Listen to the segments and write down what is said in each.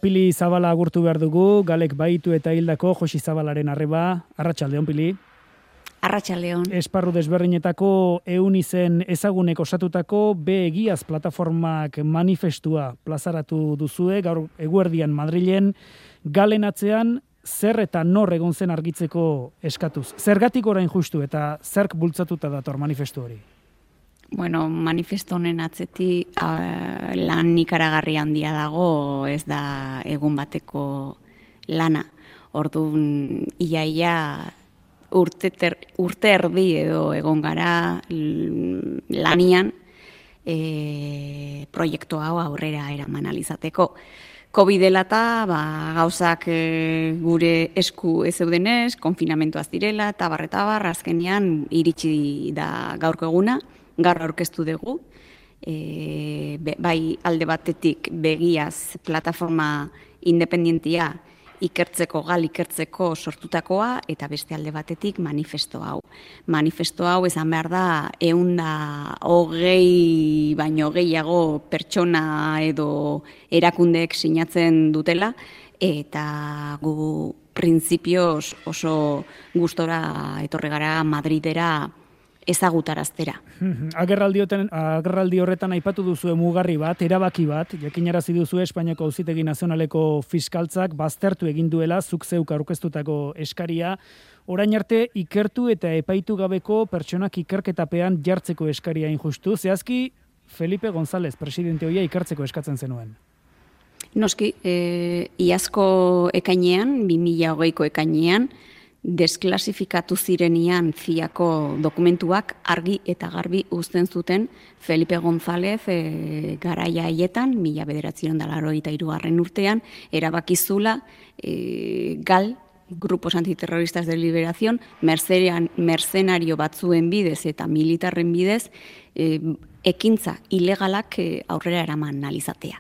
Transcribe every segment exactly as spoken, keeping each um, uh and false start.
Pili Zabala agurtu behar dugu, Galek baitu eta hildako Josi Zabalaren arreba. Arratsaldeon, Pili. Arratsaldeon. Esparru desberdinetako ehun izen ezagunek osatutako Be Egiaz plataformak manifestua plazaratu duzue, gaur eguerdian Madrilen, Galen atzean zer eta nor egon zen argitzeko eskatuz. Zergatik orain justu eta zerk bultzatuta dator manifestu hori? Bueno, manifesto honen atzeti uh, lan ikaragarri handia dago, ez da egun bateko lana. Orduan, iaia urte, ter, urte erdi edo egon gara lanian e, proiektu hau aurrera eraman alizateko. Covid dela eta ba, gauzak e, gure esku ez zeudenez, konfinamentuaz direla, eta barretabar, azkenean iritsi da gaurko eguna, gaur aurkeztu dugu, e, be, bai alde batetik Begiaz plataforma independentia ikertzeko, gal ikertzeko sortutakoa, eta beste alde batetik manifesto hau. Manifesto hau esan behar da, ehun da hogei baino gehiago pertsona edo erakundeek sinatzen dutela, eta gu printzipioz oso gustora etorri gara Madridera ezagutaraztera. Agerraldi, agerraldi horretan aipatu duzue mugarri bat, erabaki bat, jakinarazi duzue Espainiako Auzitegi Nazionaleko fiskaltzak baztertu egin duela zuk zeuk aurkeztutako eskaria, orain arte ikertu eta epaitu gabeko pertsonak ikerketapean jartzeko eskaria injustu. Zehazki, Felipe González, presidente hoia ikertzeko eskatzen zenuen. Noski, e, iazko ekainean, bi mila hogeiko ekainean, desklasifikatu zirenian ziako dokumentuak argi eta garbi uzten zuten Felipe González e, garaia haietan, mila bederatziehun eta laurogeita hirugarren urtean, erabakizula e, gal, Grupos Antiterroristas de Liberación, mercenario batzuen bidez eta militarren bidez, e, ekintza ilegalak e, aurrera eraman analizatea.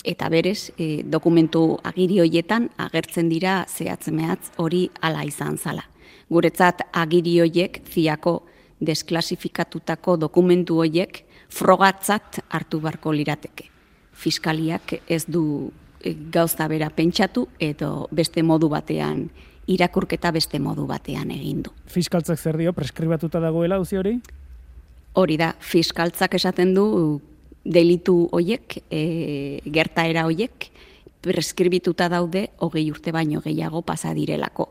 Eta berez, e, dokumentu agiri hoietan agertzen dira zehatz-mehatz hori hala izan zala. Guretzat agiri hoiek ziako desklasifikatutako dokumentu hoiek frogatzat hartu barko lirateke. Fiskaliak ez du e, gauza bera pentsatu edo beste modu batean, irakurketa beste modu batean egin du. Fiskaltzak zer dio, preskribatuta dagoela auzi hori? Hori da, fiskaltzak esaten du delitu hoiek, e, gertaera hoiek, preskribituta daude hogei urte baino gehiago pasa direlako.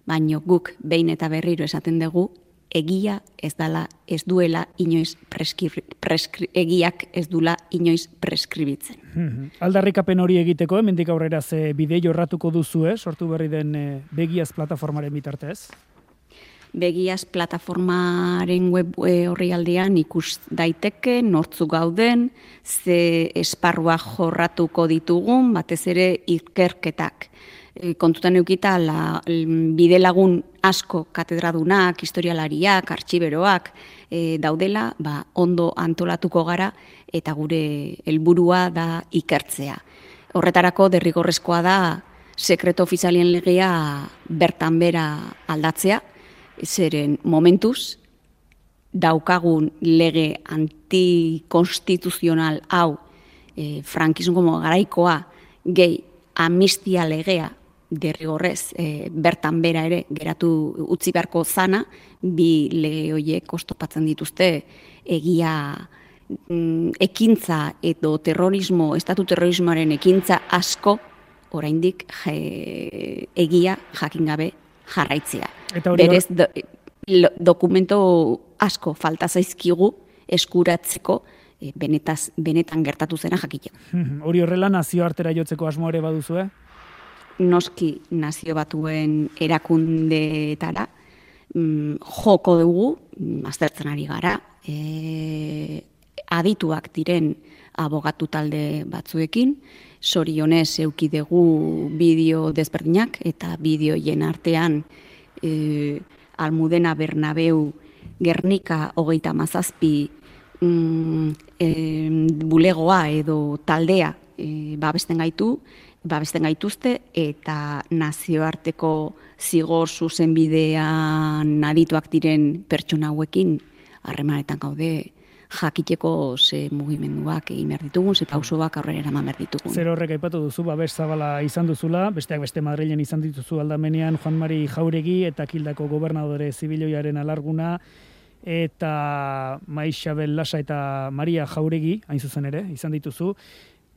Baino guk behin eta berriro esaten dugu, egia ez dala, ez duela inoiz preskri, preskri, egiak ez dula inoiz preskribitzen. Hmm. Aldarrikapen hori egiteko, hemendik aurrera ze bide jorratuko duzue, sortu berri den e, Begiaz plataformaren bitartez? Begiaz plataformaren web orrialdean ikus daiteke, nortzu gauden, ze esparrua jorratuko ditugun, batez ere ikerketak. E, kontutan eukita, la, bide lagun asko katedradunak, historialariak, artxiberoak e, daudela, ba, ondo antolatuko gara eta gure helburua da ikertzea. Horretarako derrigorrezkoa da sekreto ofizialien legea bertan bera aldatzea, zeren momentuz daukagun lege antikonstituzional hau e, frankismo garaikoa gehi amnistia legea derrigorrez e, bertan bera ere geratu utzi beharko zana, bi lege horiek oztopatzen dituzte egia mm, ekintza edo terrorismo, estatu terrorismoaren ekintza asko oraindik je, egia jakin gabe jarraitzea. Berez do, lo, dokumento asko falta zaizkigu eskuratzeko e, benetaz, benetan gertatu zena jakiteko. Hori horrela nazioartera jotzeko asmo ere baduzue? Noski nazio batuen erakundeetara mm, joko dugu, aztertzen ari gara, e, adituak diren abogatu talde batzuekin, sorionez euki dugu bideo desberdinak eta bideoien artean e, Almudena Bernabeu Gernika hogeita hamazazpi mm, e, bulegoa edo taldea e, babesten gaitu, babesten gaituzte eta nazioarteko zigor zuzenbidean adituak diren pertsona hauekin harremanetan gaude jakiteko ze mugimenduak egin behar ditugun, ze pausoak aurrera eraman behar ditugun. Zer horrek aipatu duzu, babes zabala izan duzula, besteak beste Madrilen izan dituzu aldamenean Juan Mari Jauregi eta Kildako gobernadore zibiloiaren alarguna, eta Maixabel Lasa eta Maria Jauregi, hain zuzen ere, izan dituzu.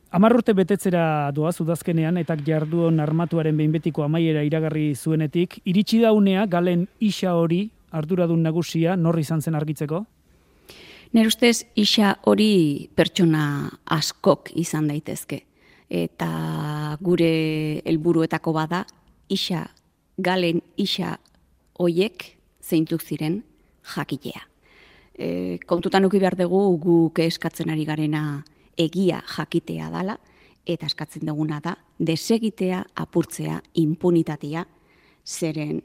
Hamar urte betetzera doaz udazkenean, eta jarduon armatuaren behin betiko amaiera iragarri zuenetik, iritsi da unea galen isa hori arduradun nagusia nor izan zen argitzeko? Nire ustez, isa hori pertsona askok izan daitezke. Eta gure helburuetako bada, isa, galen isa hoiek zeintzuk ziren jakitea. E, kontutan uki behar dugu guk eskatzen ari garena egia jakitea dala, eta eskatzen duguna da, desegitea, apurtzea, impunitatea, zeren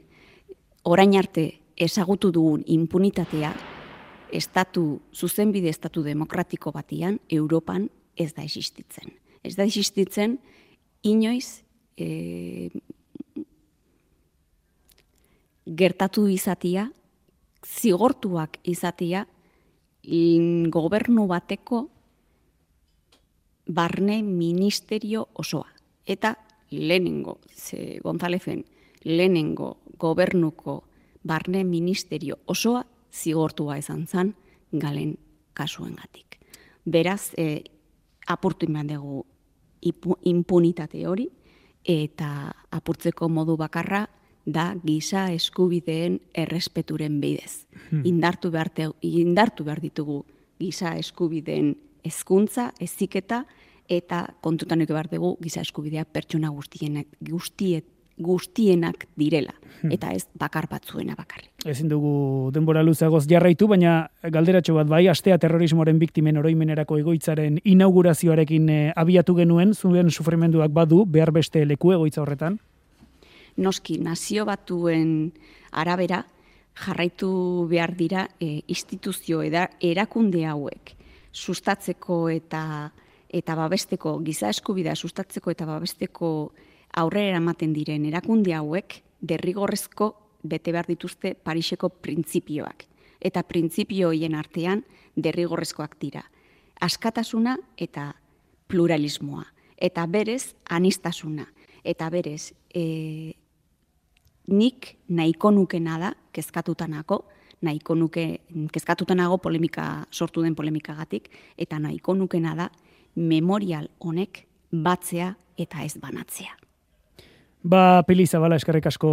orain arte ezagutu dugun impunitatea, estatu, zuzenbide estatu demokratiko batian, Europan ez da existitzen. Ez da existitzen, inoiz e, gertatu izatia, zigortuak izatia, gobernu bateko barne ministerio osoa. Eta lehenengo, ze Gonzalezen, lehenengo gobernuko barne ministerio osoa zigortua izan zen galen kasuengatik. Beraz, e, apurtu iman dugu impunitate hori, eta apurtzeko modu bakarra da giza eskubideen errespeturen bidez. Hmm. Indartu behar, te, indartu behar ditugu giza eskubideen hezkuntza, heziketa, eta kontutan eko behar dugu giza eskubidea pertsona guztienak, guztiet, guztienak direla, eta ez bakar batzuena bakarrik. Ezin dugu denbora luzeagoz jarraitu, baina galderatxo bat bai, astea terrorismoaren biktimen oroimenerako egoitzaren inaugurazioarekin e, abiatu genuen, zuen sufrimenduak badu, behar beste leku egoitza horretan? Noski, nazio batuen arabera, jarraitu behar dira e, instituzio eda, erakunde hauek sustatzeko eta eta babesteko, giza eskubidea sustatzeko eta babesteko aurrera ematen diren erakunde hauek derrigorrezko bete behar dituzte Pariseko printzipioak. Eta printzipio horien artean derrigorrezkoak dira. Askatasuna eta pluralismoa. Eta berez anistasuna. Eta berez e, nik nahiko nukena da, kezkatutanako, nahiko nuke, kezkatutanago polemika, sortu den polemikagatik, eta nahiko nukena da memorial honek batzea eta ez banatzea. Ba, Pili Zabala, eskerrik asko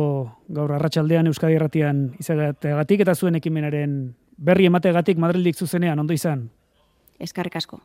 gaur arratsaldean Euskadi Irratian izateagatik eta zuen ekimenaren berri emateagatik Madrildik zuzenean, ondo izan. Eskerrik asko.